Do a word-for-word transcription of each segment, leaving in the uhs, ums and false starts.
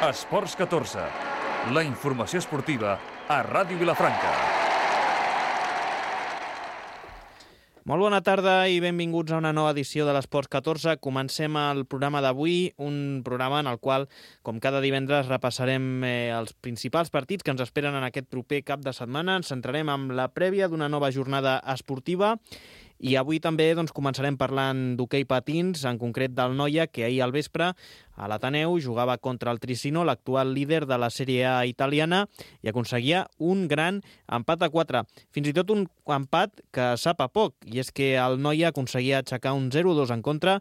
Esports catorze, la informació esportiva a Ràdio Vilafranca. Molt bona tarda i benvinguts a una nova edició de l'Esports catorze. Comencem el programa d'avui, un programa en el qual, com cada divendres, repassarem eh, els principals partits que ens esperen en aquest proper cap de setmana. Ens centrarem en la prèvia d'una nova jornada esportiva i avui també doncs, començarem parlant d'hoquei patins, en concret del Noia, que ahir al vespre a l'Ateneu jugava contra el Trissino, l'actual líder de la Sèrie A italiana, i aconseguia un gran empat a quatre. Fins i tot un empat que sap a poc, i és que el Noia aconseguia aixecar un zero dos en contra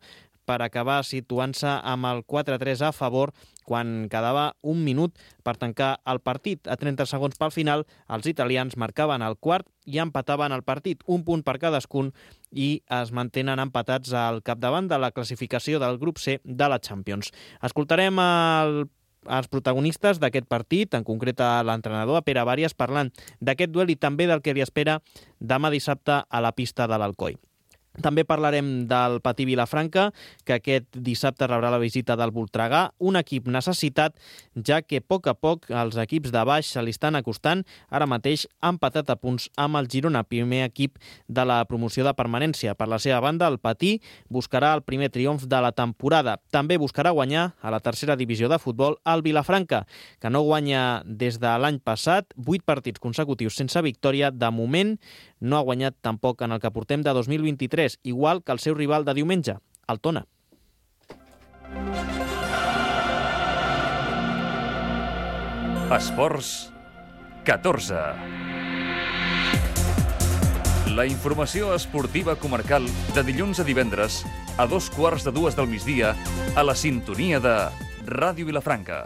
per acabar situant-se amb el quatre a tres a favor quan quedava un minut per tancar el partit. A trenta segons pel final, els italians marcaven el quart i empataven el partit, un punt per cadascun, i es mantenen empatats al capdavant de la classificació del grup C de la Champions. Escoltarem el els protagonistes d'aquest partit, en concret a l'entrenador, a Pere Bàries, parlant d'aquest duel i també del que li espera demà dissabte a la pista de l'Alcoi. També parlarem del Patí Vilafranca, que aquest dissabte rebrà la visita del Voltregà, un equip necessitat, ja que a poc a poc els equips de baix se li estan acostant, ara mateix empatat a punts amb el Girona, primer equip de la promoció de permanència. Per la seva banda, el Patí buscarà el primer triomf de la temporada. També buscarà guanyar a la tercera divisió de futbol el Vilafranca, que no guanya des de l'any passat, vuit partits consecutius sense victòria. De moment no ha guanyat tampoc en el que portem de dos mil vint-i-tres, igual que el seu rival de diumenge, el Tona. Esports catorze. La informació esportiva comarcal de dilluns a divendres a dos quarts de dues del migdia a la sintonia de Ràdio Vilafranca.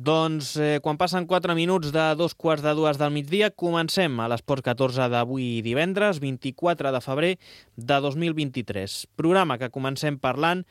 Doncs eh, quan passen quatre minuts de dos quarts de dues del migdia, comencem a l'Esport catorze d'avui divendres, vint-i-quatre de febrer de dos mil vint-i-tres. Programa que comencem parlant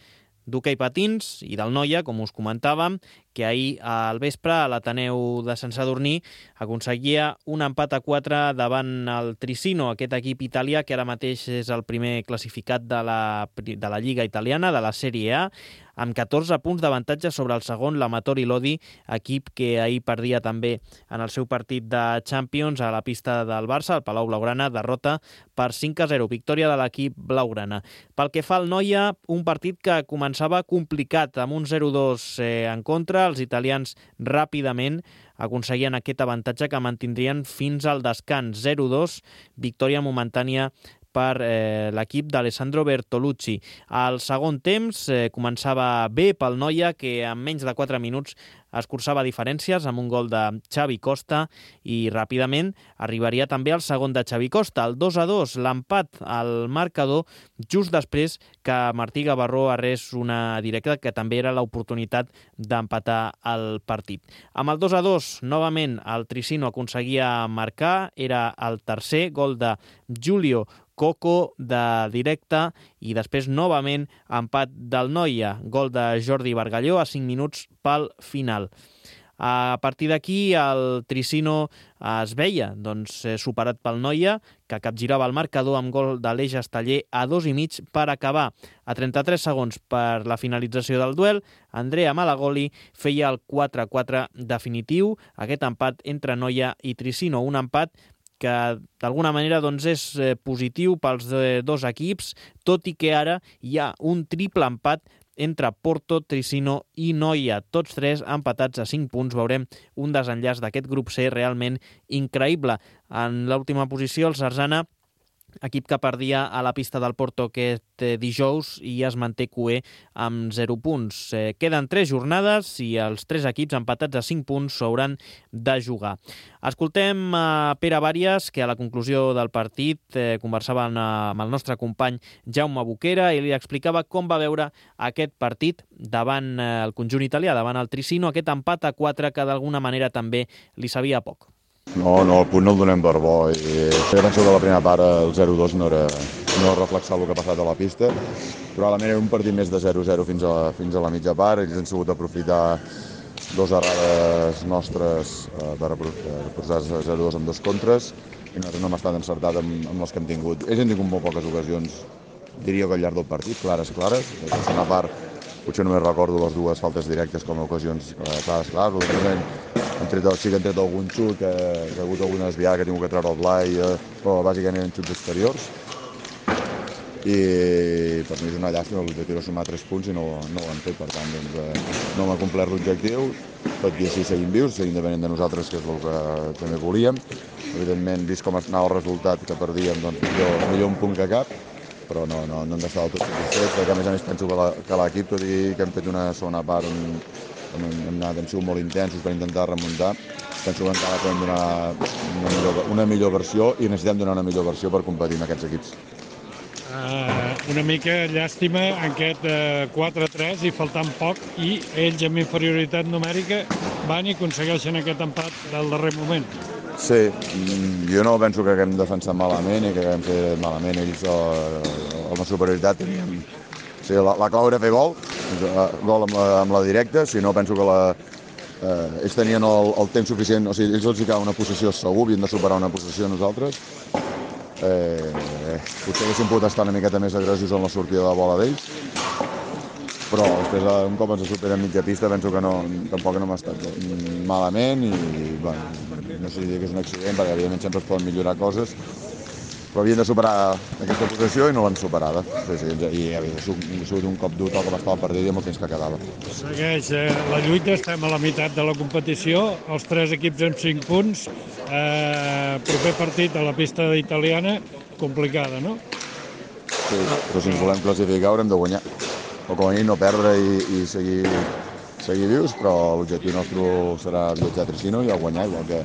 d'hoquei patins i del Noia, com us comentàvem, que ahir al vespre a l'Ateneu de Sant Sadurní aconseguia un empat a quatre davant el Trissino, aquest equip italià que ara mateix és el primer classificat de la, de la Lliga italiana, de la Sèrie A, amb catorze punts d'avantatge sobre el segon, l'Amatori Lodi, equip que ahir perdia també en el seu partit de Champions a la pista del Barça, al Palau Blaugrana, derrota per cinc a zero, victòria de l'equip blaugrana. Pel que fa al Noia, un partit que començava complicat, amb un zero dos eh, en contra. Els italians ràpidament aconseguien aquest avantatge que mantindrien fins al descans. zero dos, victòria momentània per eh, l'equip d'Alessandro Bertolucci. Al segon temps eh, començava bé pel Noia, que en menys de quatre minuts escurçava diferències amb un gol de Xavi Costa i ràpidament arribaria també el segon de Xavi Costa, el dos a dos, l'empat al marcador just després que Martí Gavarró arrés una directa que també era l'oportunitat d'empatar el partit. Amb el dos a dos, novament el Trissino aconseguia marcar, era el tercer gol de Giulio Coco de directe i després novament empat del Noia, gol de Jordi Bargalló a cinc minuts pel final. A partir d'aquí el Trissino es veia doncs, superat pel Noia, que capgirava el marcador amb gol de l'Eix Esteller a dos i mig per acabar. A trenta-tres segons per la finalització del duel, Andrea Malagoli feia el quatre a quatre definitiu, aquest empat entre Noia i Trissino, un empat que d'alguna manera doncs, és eh, positiu pels eh, dos equips, tot i que ara hi ha un triple empat entre Porto, Trissino i Noia, tots tres empatats a cinc punts. Veurem un desenllaç d'aquest grup C realment increïble. En l'última posició, el Sarzana, equip que perdia a la pista del Porto aquest dijous i es manté cuer amb zero punts. Eh, queden tres jornades i els tres equips empatats a cinc punts s'hauran de jugar. Escoltem a Pere Bàries, que a la conclusió del partit eh, conversava amb el nostre company Jaume Boquera i li explicava com va veure aquest partit davant eh, el conjunt italià, davant el Trissino, aquest empat a quatre que d'alguna manera també li sabia poc. No, no, el punt no el donem per bo. I jo penso que la primera part el zero dos no era no reflexar el que ha passat a la pista. Probablement era un partit més de zero zero fins a, fins a la mitja part. Ells han sabut aprofitar dos errades nostres eh, per posar zero dos amb dos contres, i nosaltres no hem estat encertat amb, amb les que hem tingut. Ells han tingut molt poques ocasions, diria que al llarg del partit, clares, clares. La segona part, potser només recordo les dues faltes directes com a ocasions clares, clares. L'altrament, han tret, sí que han tret algun xut, que, que ha hagut alguna desviada que ha tingut que treure el Blai, eh, però bàsicament eren xuts exteriors. I per mi és una llàstima, l'objectiu era sumar tres punts i no, no ho han fet, per tant doncs, eh, no m'ha complert l'objectiu, tot i així seguim vius, seguim depenent de nosaltres, que és el que també volíem. Evidentment, vist com anava el resultat que perdíem, doncs millor, millor un punt que cap, però no, no, no hem d'estar del tot satisfets, perquè a més a més penso que l'equip, tot i que hem fet una segona part on, on hem, anat, hem sigut molt intensos per intentar remuntar, penso que encara podem donar una millor, una millor versió i necessitem donar una millor versió per competir amb aquests equips. Uh, una mica llàstima en aquest uh, quatre a tres i faltant poc, i ells amb inferioritat numèrica van i aconsegueixen aquest empat del darrer moment. Sí, jo no penso que haguem defensat malament i que haguem fet malament. Ells amb la superioritat teníem... O sigui, la, la clau era fer gol, gol amb la, amb la directa, si no penso que la, eh, ells tenien el, el temps suficient, o sigui, ells els hi cau una possessió segur, havien de superar una possessió nosaltres. Eh, potser haguéssim pogut estar una miqueta més agressius en la sortida de bola d'ells, però després un cop ens superen mitja pista penso que no, tampoc no hem estat malament i bueno, no sé si dir que és un accident perquè evidentment sempre es poden millorar coses, però havien de superar aquesta posició i no l'han superada. Sí, sí, i ha sigut un cop dur tal com estava el partit i amb el temps que quedava. Segueix eh, la lluita, estem a la meitat de la competició, els tres equips amb cinc punts, eh, proper partit a la pista italiana, complicada, no? Sí, però si ens volem classificar haurem de guanyar, o com a mínim no perdre i, i seguir, seguir vius, però l'objectiu nostre serà viatjar a Tricino i guanyar, igual que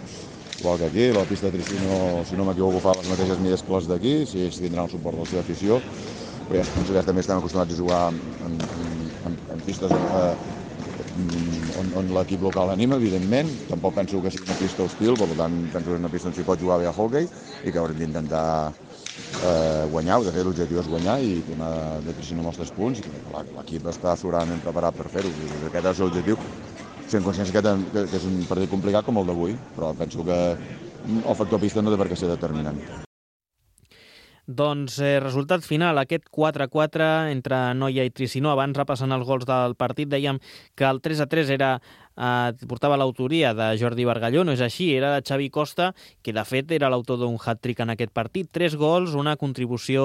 igual que aquí. La pista de Tricino, si no m'equivoco, fa les mateixes mides que les d'aquí, si ells tindran el suport de la seva afició, però ja penso que també estem acostumats a jugar en, en, en, en pistes eh, on, on l'equip local anima, evidentment. Tampoc penso que sigui una pista hostil, per tant penso que és una pista on s'hi pot jugar bé a hockey i que haurem d'intentar eh, guanyar, de fet l'objectiu és guanyar i tornar de Tricino amb els tres punts, i l'equip està sobradament preparat per fer-ho, aquest és l'objectiu. Sent consciència que, que, que és un partit complicat com el d'avui, però penso que el factor pista no té per què ser determinant. Doncs eh, resultat final, aquest quatre a quatre entre Noia i Tricino. Abans, repassant els gols del partit, dèiem que el tres a tres era, eh, portava l'autoria de Jordi Bargalló. No és així, era de Xavi Costa, que de fet era l'autor d'un hat-trick en aquest partit. Tres gols, una contribució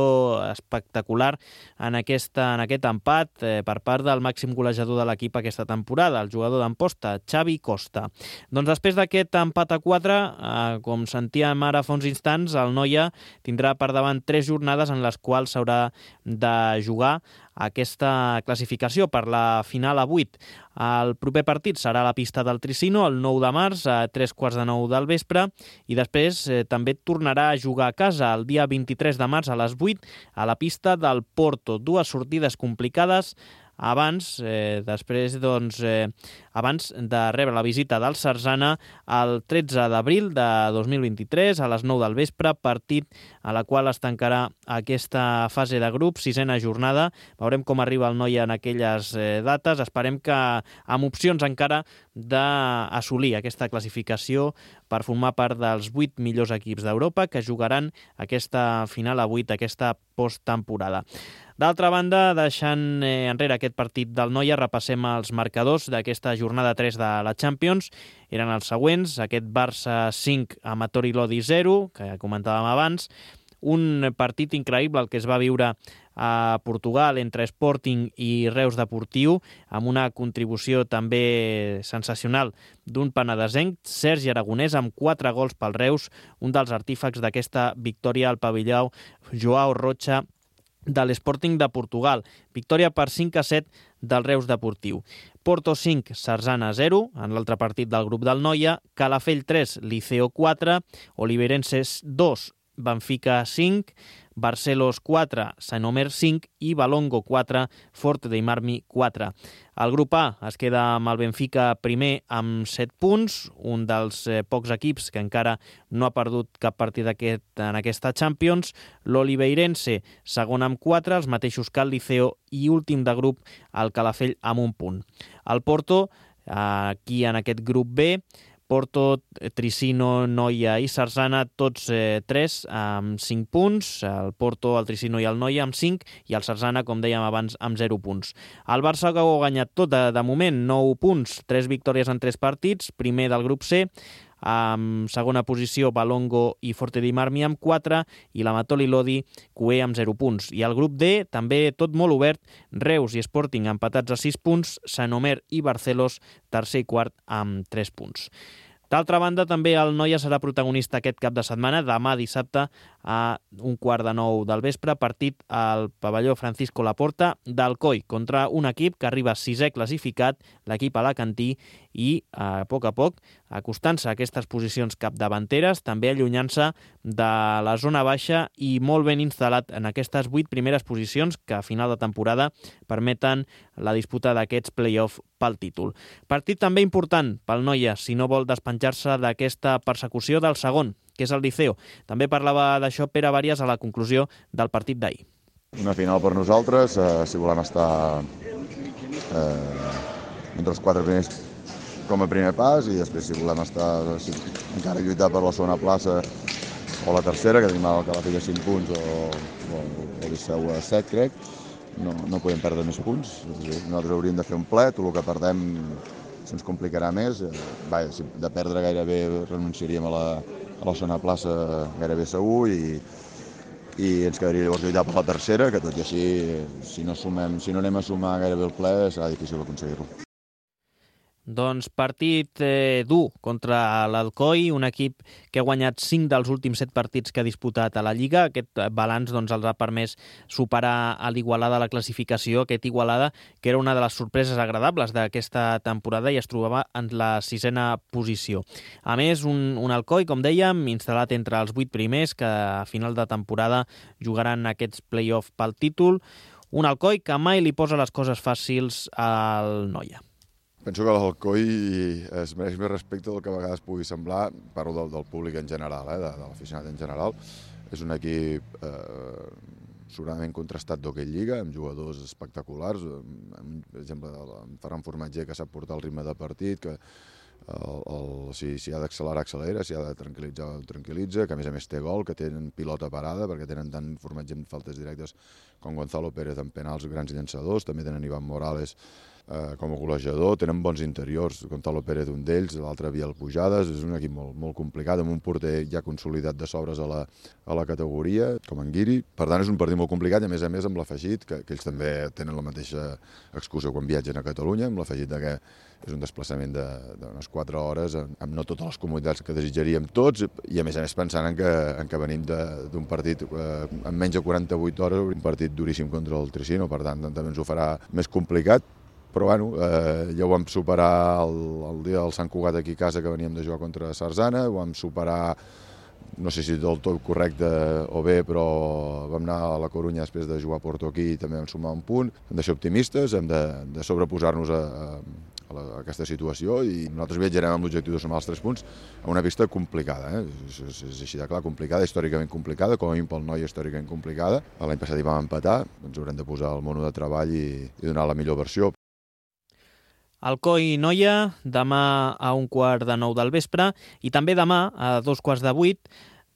espectacular en, aquesta, en aquest empat eh, per part del màxim golejador de l'equip aquesta temporada, el jugador d'Amposta, Xavi Costa. Doncs després d'aquest empat a quatre, eh, com sentíem ara fa uns instants, el Noia tindrà per davant tres jornades en les quals s'haurà de jugar aquesta classificació per la final a vuit. El proper partit serà a la pista del Tricino el nou de març a tres quarts de nou del vespre i després eh, també tornarà a jugar a casa el dia vint-i-tres de març a les vuit a la pista del Porto. Dues sortides complicades abans, eh, després, doncs, eh, abans de rebre la visita del Sarzana el tretze d'abril de dos mil vint-i-tres a les nou del vespre, partit a la qual es tancarà aquesta fase de grup, sisena jornada. Veurem com arriba el Noia en aquelles eh, dates. Esperem que amb opcions encara d'assolir aquesta classificació per formar part dels vuit millors equips d'Europa que jugaran aquesta final a vuit, aquesta posttemporada. D'altra banda, deixant eh, enrere aquest partit del Noia, repassem els marcadors d'aquesta jornada tres de la Champions. Eren els següents: aquest Barça cinc, Amatori Lodi zero, que comentàvem abans, un partit increïble el que es va viure a Portugal entre Sporting i Reus Deportiu, amb una contribució també sensacional d'un penedesenc, Sergi Aragonès, amb quatre gols pel Reus, un dels artífecs d'aquesta victòria al pavelló Joao Rocha de l'Sporting de Portugal. Victòria per cinc a set del Reus Deportiu. Porto cinc, Sarzana zero, en l'altre partit del grup del Noia. Calafell tres, Liceo quatre. Oliveirenses dos, Benfica cinc. Barcelos quatre, Sant Omer cinc i Balongo quatre, Forte dei Marmi quatre. El grup A es queda amb el Benfica primer amb set punts, un dels eh, pocs equips que encara no ha perdut cap partit aquest, en aquesta Champions. L'Oliveirense segon amb quatre, els mateixos que el Liceo, i últim de grup el Calafell amb un punt. El Porto Aquí en aquest grup B, Porto, Tricino, Noia i Sarzana, tots eh, tres amb cinc punts, el Porto, el Tricino i el Noia amb cinc, i el Sarzana, com dèiem abans, amb zero punts. El Barça ha guanyat tot de, de moment, nou punts, tres victòries en tres partits, primer del grup C, amb segona posició Balongo i Forte di Marmi amb quatre i la Matoli Lodi Cué amb zero punts. I el grup D, també tot molt obert, Reus i Sporting empatats a sis punts, Sant Omer i Barcelos tercer i quart amb tres punts. D'altra banda, també el Noia serà protagonista aquest cap de setmana, demà dissabte a un quart de nou del vespre, partit al pavelló Francisco Laporta d'Alcoi contra un equip que arriba sisè classificat, l'equip alacantí, i a poc a poc acostant-se a aquestes posicions capdavanteres, també allunyant-se de la zona baixa i molt ben instal·lat en aquestes vuit primeres posicions que a final de temporada permeten la disputa d'aquests play-off pel títol. Partit també important pel Noia, si no vol despenjar-se d'aquesta persecució del segon, que és el Liceo. També parlava d'això Pere Vàries a la conclusió del partit d'ahir. Una final per nosaltres, eh, si volem estar eh, entre els quatre primers com a primer pas, i després si volem estar si, encara lluitar per la segona plaça o la tercera, que tenim el Calafell a cinc punts o, o, o Liceu a set, crec, no, no podem perdre més punts. Nosaltres hauríem de fer un ple, tot el que perdem se'ns complicarà més. Vaja, si de perdre gairebé renunciaríem a la, a la segona plaça gairebé segur, i, i ens quedaria llavors lluitar per la tercera, que tot i així, si no, sumem, si no anem a sumar gairebé el ple, serà difícil aconseguir-lo. Doncs partit eh, dur contra l'Alcoi, un equip que ha guanyat cinc dels últims set partits que ha disputat a la Lliga. Aquest balanç doncs, els ha permès superar a l'Igualada la classificació, aquest Igualada que era una de les sorpreses agradables d'aquesta temporada i es trobava en la sisena posició. A més, un, un Alcoi, com dèiem, instal·lat entre els vuit primers, que a final de temporada jugaran aquests play-off pel títol. Un Alcoi que mai li posa les coses fàcils al Noia. Penso que l'Alcoi es mereix més respecte del que a vegades pugui semblar, parlo del, del públic en general, eh, de, de l'aficionat en general. És un equip eh, sobradament contrastat d'hoquei lliga, amb jugadors espectaculars, amb, per exemple, en Ferran Formatger, que sap portar el ritme de partit, que el, el, si, si ha d'accelerar, accelera, si ha de tranquil·litzar, tranquil·litza, que a més a més té gol, que tenen pilota parada, perquè tenen tant Formatger en faltes directes com Gonzalo Pérez en penals, grans llançadors, també tenen Ivan Morales Eh, com a golejador, tenen bons interiors, Gonzalo Pérez un d'ells, l'altre Biel Pujades, és un equip molt, molt complicat, amb un porter ja consolidat de sobres a la, a la categoria, com en Guiri. Per tant, és un partit molt complicat i a més a més amb l'afegit, que, que ells també tenen la mateixa excusa quan viatgen a Catalunya, amb l'afegit de que és un desplaçament d'unes quatre hores, amb, amb no totes les comoditats que desitjaríem tots, i a més a més pensant en que, en que venim d'un partit eh, en menys de quaranta-vuit hores, un partit duríssim contra el Tricino, per tant també ens ho farà més complicat. Però bueno, eh, ja ho vam superar el, el dia del Sant Cugat aquí a casa, que veníem de jugar contra Sarzana, ho vam superar, no sé si del tot correcte o bé, però vam anar a la Corunya després de jugar a Porto aquí i també vam sumar un punt. Hem de ser optimistes, hem de, de sobreposar-nos a, a, a aquesta situació, i nosaltres viatjarem amb l'objectiu de sumar els tres punts a una pista complicada, eh? és, és, és així de clar, complicada, històricament complicada, com a mínim pel Noia històricament complicada. L'any passat hi vam empatar, ens haurem de posar el mono de treball i, i donar la millor versió. Alcoi Noia, demà a un quart de nou del vespre, i també demà a dos quarts de vuit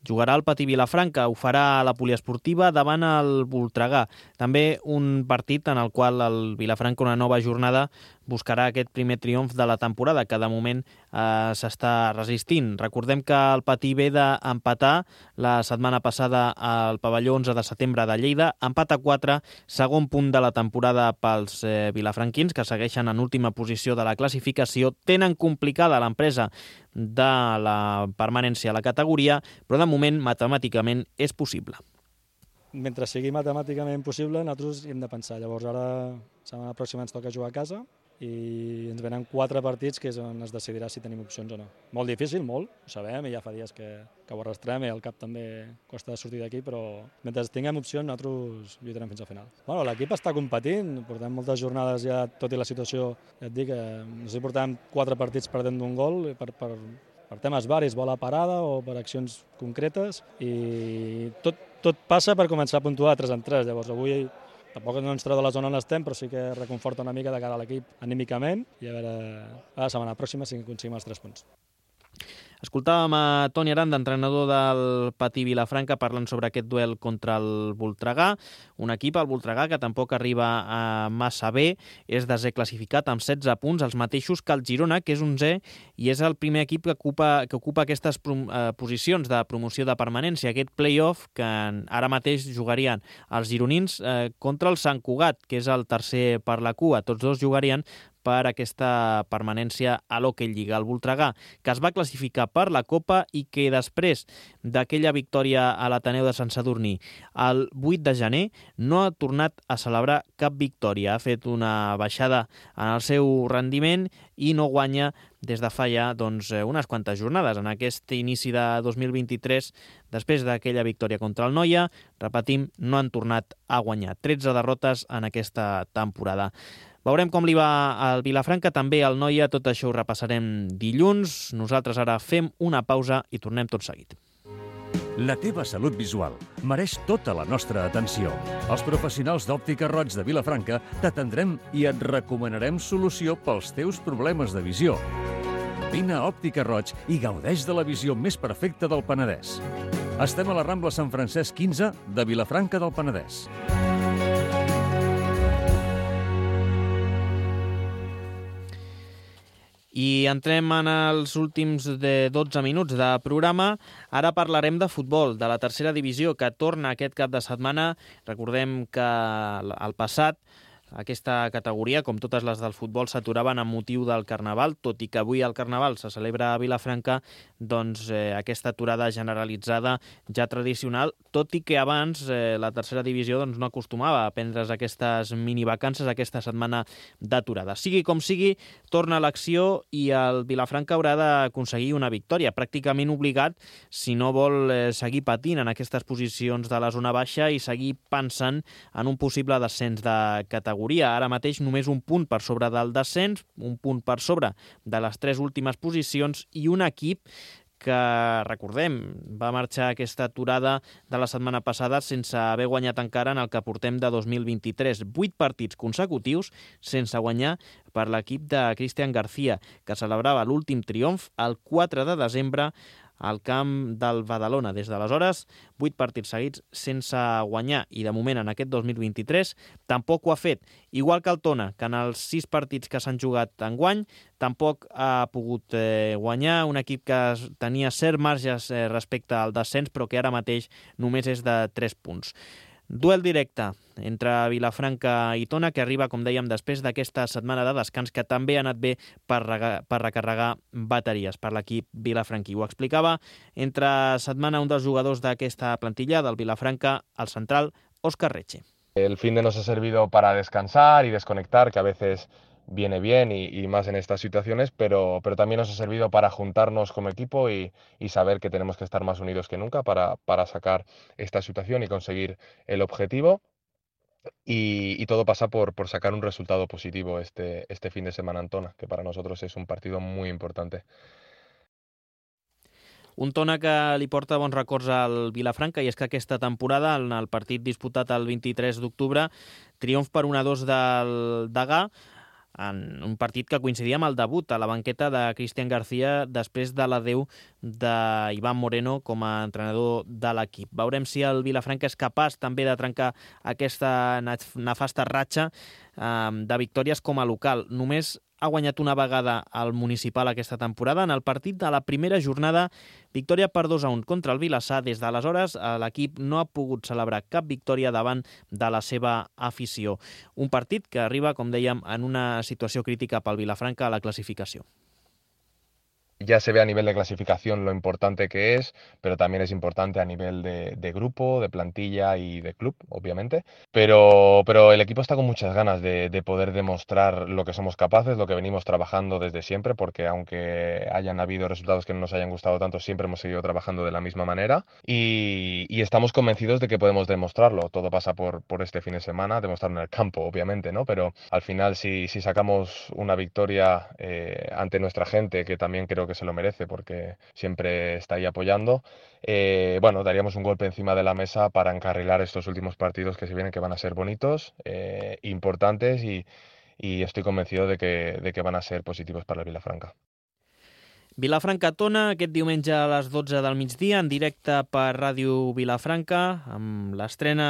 jugarà el Patí Vilafranca, ho farà a la poliesportiva davant el Voltregà. També un partit en el qual el Vilafranca, una nova jornada, buscarà aquest primer triomf de la temporada, que de moment eh, s'està resistint. Recordem que el Patí ve d'empatar la setmana passada al pavelló onze de setembre de Lleida, empat a quatre, segon punt de la temporada pels eh, vilafranquins, que segueixen en última posició de la classificació. Tenen complicada l'empresa de la permanència a la categoria, però de moment matemàticament és possible. Mentre sigui matemàticament possible, nosaltres hi hem de pensar. Llavors ara, la setmana pròxima ens toca jugar a casa i ens venen quatre partits que és on es decidirà si tenim opcions o no. Molt difícil, molt, ho sabem, i ja fa dies que, que ho arrastrem i el cap també costa sortir d'aquí, però mentre tinguem opcions nosaltres lluitarem fins al final. Bueno, l'equip està competint, portem moltes jornades ja, tot i la situació, ja et dic, eh, no sé si portem quatre partits perdent d'un gol per, per, per temes varis, bola parada o per accions concretes, i tot, tot passa per començar a puntuar tres en tres. Llavors avui Tampoc no ens treu de la zona on estem, però sí que reconforta una mica de cara a l'equip anímicament i a veure a la setmana pròxima si aconseguim els tres punts. Escoltàvem a Toni Aranda, entrenador del Patí Vilafranca, parlant sobre aquest duel contra el Voltregà, un equip, el Voltregà, que tampoc arriba a massa bé, és desè classificat amb setze punts, els mateixos que el Girona, que és onzè, i és el primer equip que ocupa, que ocupa aquestes eh, posicions de promoció de permanència, aquest play-off que ara mateix jugarien els gironins eh, contra el Sant Cugat, que és el tercer per la cua. Tots dos jugarien per aquesta permanència a l'Hockey Lliga. El Voltregà, que es va classificar per la Copa i que després d'aquella victòria a l'Ateneu de Sant Sadurní el vuit de gener no ha tornat a celebrar cap victòria. Ha fet una baixada en el seu rendiment i no guanya des de fa ja doncs, unes quantes jornades. En aquest inici de dos mil vint-i-tres, després d'aquella victòria contra el Noia, repetim, no han tornat a guanyar. tretze derrotes en aquesta temporada. Veurem com li va al Vilafranca, també al Noia, tot això ho repassarem dilluns. Nosaltres ara fem una pausa i tornem tot seguit. La teva salut visual mereix tota la nostra atenció. Els professionals d'Òptica Roig de Vilafranca t'atendrem i et recomanarem solució pels teus problemes de visió. Vine a Òptica Roig i gaudeix de la visió més perfecta del Penedès. Estem a la Rambla Sant Francesc quinze de Vilafranca del Penedès. I entrem en els últims de dotze minuts de programa. Ara parlarem de futbol, de la tercera divisió, que torna aquest cap de setmana. Recordem que al passat aquesta categoria, com totes les del futbol, s'aturaven amb motiu del Carnaval, tot i que avui el Carnaval se celebra a Vilafranca, doncs eh, aquesta aturada generalitzada ja tradicional, tot i que abans eh, la tercera divisió doncs, no acostumava a prendre's aquestes minivacances, aquesta setmana d'aturada. Sigui com sigui, torna a l'acció i el Vilafranca haurà d'aconseguir una victòria, pràcticament obligat, si no vol eh, seguir patint en aquestes posicions de la zona baixa i seguir pensant en un possible descens de categoria. Ara mateix només un punt per sobre del descens, un punt per sobre de les tres últimes posicions i un equip que, recordem, va marxar aquesta aturada de la setmana passada sense haver guanyat encara en el que portem de dos mil vint-i-tres. Vuit partits consecutius sense guanyar per l'equip de Cristian García, que celebrava l'últim triomf el quatre de desembre al camp del Badalona. Des d'aleshores, vuit partits seguits sense guanyar i de moment en aquest dos mil vint-i-tres tampoc ho ha fet. Igual que el Tona, que en els sis partits que s'han jugat enguany tampoc ha pogut eh, guanyar, un equip que tenia cert marges eh, respecte al descens però que ara mateix només és de tres punts. Duel directe entre Vilafranca i Tona, que arriba, com dèiem, després d'aquesta setmana de descans, que també ha anat bé per, rega, per recarregar bateries per l'equip vilafranquí. Ho explicava entre setmana un dels jugadors d'aquesta plantilla del Vilafranca, el central Óscar Reche. El fin de nos ha servido para descansar y desconectar, que a veces viene bien y, y más en estas situaciones, pero, pero también nos ha servido para juntarnos como equipo y, y saber que tenemos que estar más unidos que nunca para, para sacar esta situación y conseguir el objetivo. Y, y todo pasa por, por sacar un resultado positivo este, este fin de semana en Tona, que para nosotros es un partido muy importante. Un Tona que li porta bons records al Vilafranca, i és que aquesta temporada, en el partit disputat el vint-i-tres d'octubre, triomf per un a dos del Degà, en un partit que coincidia amb el debut a la banqueta de Cristian García després de l'adeu d'Ivan Moreno com a entrenador de l'equip. Veurem si el Vilafranca és capaç també de trencar aquesta nefasta ratxa eh, de victòries com a local. Només ha guanyat una vegada al Municipal aquesta temporada en el partit de la primera jornada, victòria per dos a un contra el Vilassar. Des d'aleshores l'equip no ha pogut celebrar cap victòria davant de la seva afició. Un partit que arriba, com dèiem, en una situació crítica pel Vilafranca a la classificació. Ya se ve a nivel de clasificación lo importante que es, pero también es importante a nivel de, de grupo, de plantilla y de club, obviamente. Pero, pero el equipo está con muchas ganas de, de poder demostrar lo que somos capaces, lo que venimos trabajando desde siempre, porque aunque hayan habido resultados que no nos hayan gustado tanto, siempre hemos seguido trabajando de la misma manera y, y estamos convencidos de que podemos demostrarlo. Todo pasa por, por este fin de semana, demostrarlo en el campo, obviamente, ¿no? Pero al final, si, si sacamos una victoria eh, ante nuestra gente, que también creo que que se lo merece porque siempre está ahí apoyando. Eh, bueno, daríamos un golpe encima de la mesa para encarrilar estos últimos partidos que se vienen, que van a ser bonitos, eh, importantes y, y estoy convencido de que, de que van a ser positivos para el Vilafranca. Vilafranca-Tona, aquest diumenge a les dotze del migdia, en directe per Ràdio Vilafranca, amb l'estrena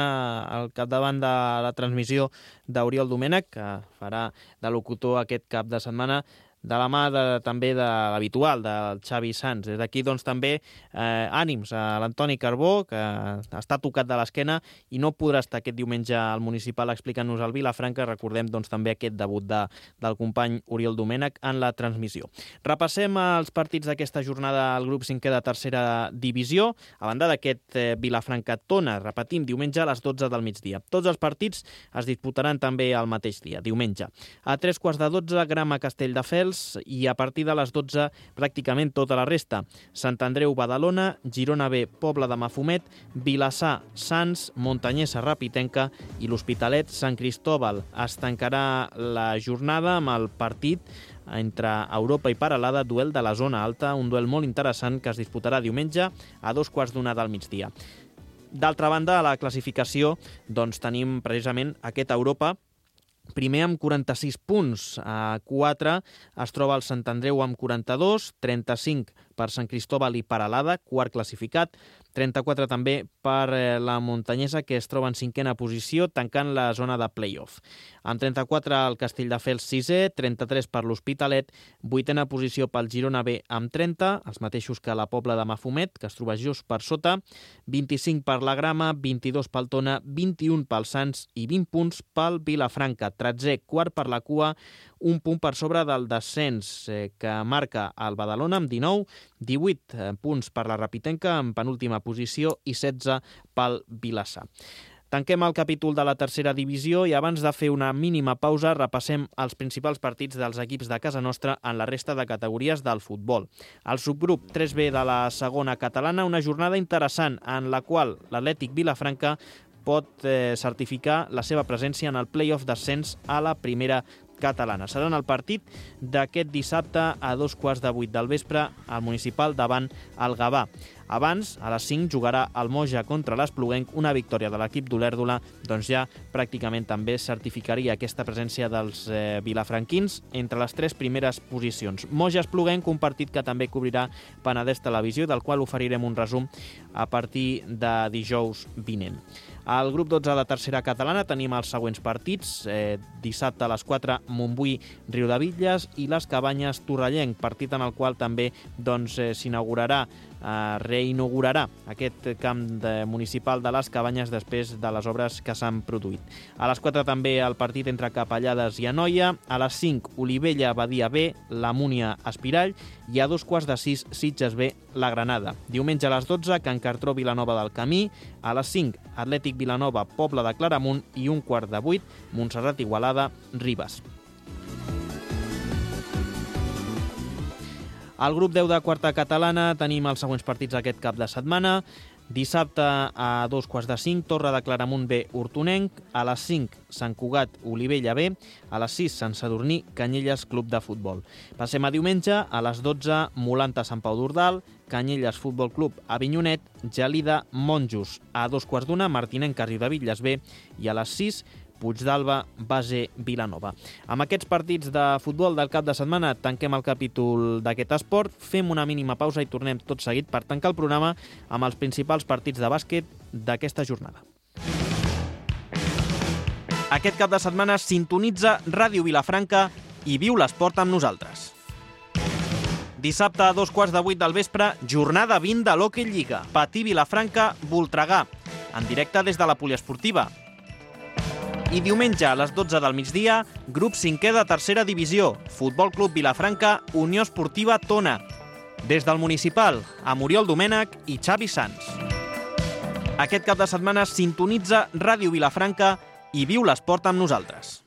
al capdavant de la transmissió d'Oriol Domènech, que farà de locutor aquest cap de setmana, de la mà de, també de l'habitual, del Xavi Sans. Des d'aquí, doncs, també eh, ànims a l'Antoni Carbó, que està tocat de l'esquena i no podrà estar aquest diumenge al municipal explicant-nos el Vilafranca. Recordem, doncs, també aquest debut de, del company Oriol Domènech en la transmissió. Repassem els partits d'aquesta jornada al grup cinquè de tercera divisió. A banda d'aquest eh, Vilafranca-Tona, repetim, diumenge a les dotze del migdia. Tots els partits es disputaran també el mateix dia, diumenge. A tres quarts de dotze, Grama-Castelldefels, i a partir de les dotze pràcticament tota la resta. Sant Andreu Badalona, Girona B Pobla de Mafumet, Vilassar Sants, Montanyesa Rapitenca i l'Hospitalet Sant Cristòbal. Es tancarà la jornada amb el partit entre Europa i Paralada, duel de la zona alta, un duel molt interessant que es disputarà diumenge a dos quarts d'una del migdia. D'altra banda, a la classificació doncs, tenim precisament aquest Europa, primer amb quaranta-sis punts, a quatre es troba el Sant Andreu amb quaranta-dos, trenta-cinc per Sant Cristòbal i Paralada, quart classificat, trenta-quatre també per la Montanyesa, que es troba en cinquena posició, tancant la zona de play-off. Amb trenta-quatre el Castelldefels sisè, trenta-tres per l'Hospitalet, vuitena posició pel Girona B amb trenta, els mateixos que la Pobla de Mafumet, que es troba just per sota, vint-i-cinc per la Grama, vint-i-dos pel Tona, vint-i-un pel Sants i vint punts pel Vilafranca, tretzè, quart per la cua, un punt per sobre del descens eh, que marca el Badalona amb dinou, divuit punts per la Rapitenca en penúltima posició i setze pel Vilassar. Tanquem el capítol de la tercera divisió i abans de fer una mínima pausa repassem els principals partits dels equips de casa nostra en la resta de categories del futbol. El subgrup tres B de la segona catalana, una jornada interessant en la qual l'Atlètic Vilafranca pot eh, certificar la seva presència en el play-off d'ascens a la primera catalana. Serà en el partit d'aquest dissabte a dos quarts de vuit del vespre al municipal davant el Gavà. Abans, a les cinc, jugarà el Moja contra l'Espluguenc. Una victòria de l'equip d'Olèrdola doncs ja pràcticament també certificaria aquesta presència dels eh, vilafranquins entre les tres primeres posicions. Moja-Espluguenc, un partit que també cobrirà Penedès Televisió, del qual oferirem un resum a partir de dijous vinent. Al grup dotze de tercera catalana tenim els següents partits. Eh, dissabte a les quatre, Montbui-Riudebitlles i les Cabanyes Torrellenc, partit en el qual també doncs, eh, s'inaugurarà eh, reinaugurarà aquest camp de, municipal de les Cabanyes després de les obres que s'han produït. A les quatre també el partit entre Capellades i Anoia, a les cinc Olivella-Badia B, la Múnia Espirall i a dos quarts de sis Sitges B, la Granada. Diumenge a les dotze, Can Cartró Vilanova del Camí, a les cinc Atlètic Vilanova Pobla de Claramunt i un quart de vuit Montserrat Igualada Ribes. Al grup deu de quarta catalana tenim els següents partits aquest cap de setmana. Dissabte a dos quarts de cinc, Torre de Claramunt B, Hortonenc. A les cinc, Sant Cugat, Olivella B. A les sis, Sant Sadurní, Canyelles Club de Futbol. Passem a diumenge, a les dotze, Molanta Sant Pau d'Ordal, Canyelles Futbol Club Avinyonet, Gelida Monjos. A dos quarts d'una, Martinenc Riudebitlles B. I a les sis, Puigdàlber, Base, Vilanova. Amb aquests partits de futbol del cap de setmana tanquem el capítol d'aquest esport, fem una mínima pausa i tornem tot seguit per tancar el programa amb els principals partits de bàsquet d'aquesta jornada. Aquest cap de setmana sintonitza Ràdio Vilafranca i viu l'esport amb nosaltres. Dissabte a dos quarts de vuit del vespre, jornada vint de l'Hockey Lliga. Patí Vilafranca, Voltregà, en directe des de la poliesportiva. I diumenge a les dotze del migdia, grup cinquè de tercera divisió, Futbol Club Vilafranca, Unió Esportiva Tona. Des del municipal, amb Oriol Domènech i Xavi Sans. Aquest cap de setmana sintonitza Ràdio Vilafranca i viu l'esport amb nosaltres.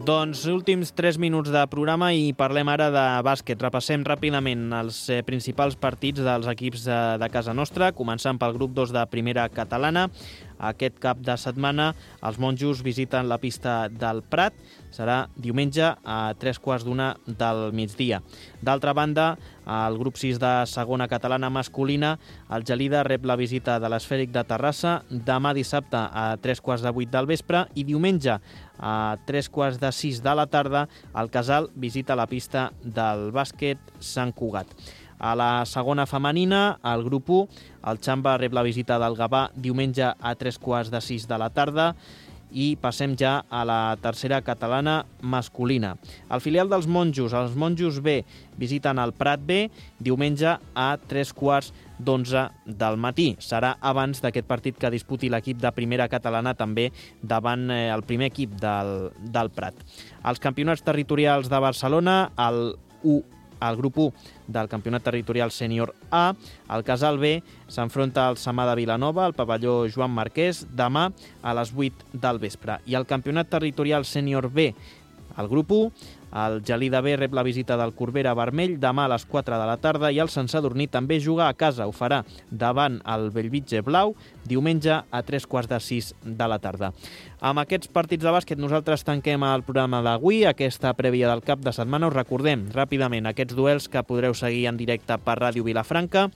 Doncs últims tres minuts de programa i parlem ara de bàsquet. Repassem ràpidament els principals partits dels equips de, de casa nostra, començant pel grup dos de primera catalana. aquest cap de setmana. Els monjos visiten la pista del Prat. Serà diumenge a tres quarts d'una del migdia. D'altra banda, al grup sis de segona catalana masculina, el Gelida rep la visita de l'Esfèric de Terrassa demà dissabte a tres quarts de vuit del vespre i diumenge a tres quarts de sis de la tarda el Casal visita la pista del bàsquet Sant Cugat. A la segona femenina, al grup u, el Xamba rep la visita del Gavà diumenge a tres quarts de sis de la tarda. I passem ja a la tercera catalana masculina. El filial dels monjos, els monjos B, visiten el Prat B diumenge a tres quarts d'onze del matí. Serà abans d'aquest partit que disputi l'equip de primera catalana també davant eh, el primer equip del, del Prat. Els campionats territorials de Barcelona, el U al grup u del campionat territorial sènior A, el Casal B s'enfronta al Samà de Vilanova, al pavelló Joan Marquès, demà a les vuit del vespre. I el campionat territorial sènior B, al grup u, el Gelida B rep la visita del Corbera Vermell demà a les quatre de la tarda i el Sant Sadurní també juga a casa. Ho farà davant el Bellvitge Blau diumenge a tres quarts de sis de la tarda. Amb aquests partits de bàsquet nosaltres tanquem el programa d'avui, aquesta prèvia del cap de setmana. Us recordem ràpidament aquests duels que podreu seguir en directe per Ràdio Vilafranca.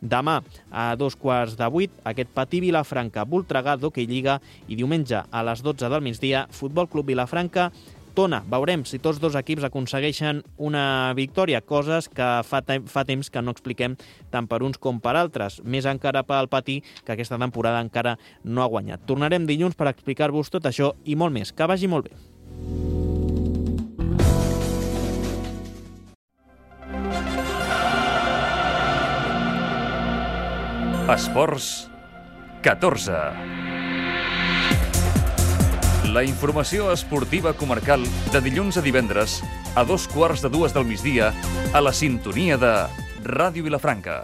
Demà a dos quarts de vuit, aquest Patí Vilafranca, Voltregà d'Hockey Lliga i diumenge a les dotze del migdia, Futbol Club Vilafranca, Tona. Veurem si tots dos equips aconsegueixen una victòria, coses que fa, te- fa temps que no expliquem tant per uns com per altres. Més encara pel Patí, que aquesta temporada encara no ha guanyat. Tornarem dilluns per explicar-vos tot això i molt més. Que vagi molt bé. Esports catorze. La informació esportiva comarcal de dilluns a divendres a dos quarts de dues del migdia a la sintonia de Ràdio Vilafranca.